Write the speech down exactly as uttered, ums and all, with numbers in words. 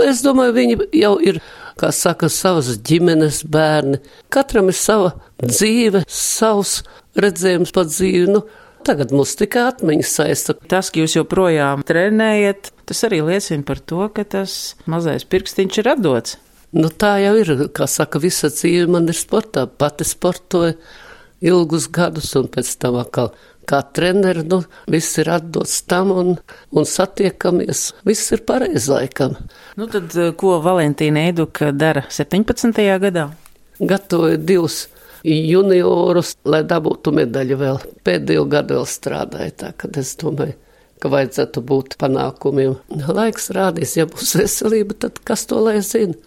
es domāju, viņi jau ir, kā saka, savas ģimenes bērni. Katram ir sava dzīve, savs redzējums par dzīvi. Nu, tagad mums tikai atmiņas saista. Tas, ka jūs joprojām trenējat, tas arī liecina par to, ka tas mazais pirkstiņš ir atdots. Nu, tā jau ir, kā saka, visa dzīve man ir sportā. Pati sportoju ilgus gadus un pēc tam atkal kā treneri, nu, viss ir atdots tam un, un satiekamies. Viss ir pareizi laikam. Nu, tad ko Valentīna Eiduka dara septiņpadsmitajā gadā? Gatavoju divus juniorus, lai dabūtu medaļu vēl. Pēdējo gadu vēl strādāju, tā kad es domāju, ka vajadzētu būt panākumiem. Laiks rādīs, ja būs veselība, tad kas to lai zina.